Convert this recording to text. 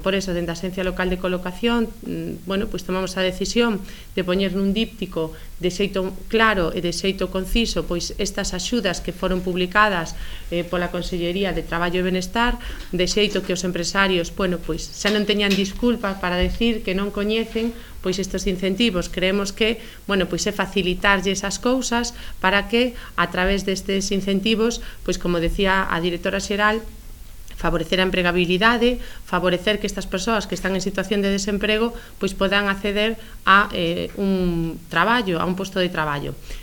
Por eso, dende a Axencia Local de Colocación, pois tomamos a decisión de poñer nun díptico de xeito claro e de xeito conciso pois estas axudas que foron publicadas pola Consellería de Traballo e Benestar, de xeito que os empresarios, pois xa non teñan disculpas para decir que non coñecen pois estes incentivos. Creemos que, pois é facilitarlle esas cousas para que, a través destes incentivos, pois como decía a directora xeral, favorecer a empregabilidade, favorecer que estas persoas que están en situación de desemprego pois podan acceder a un traballo, a un posto de traballo.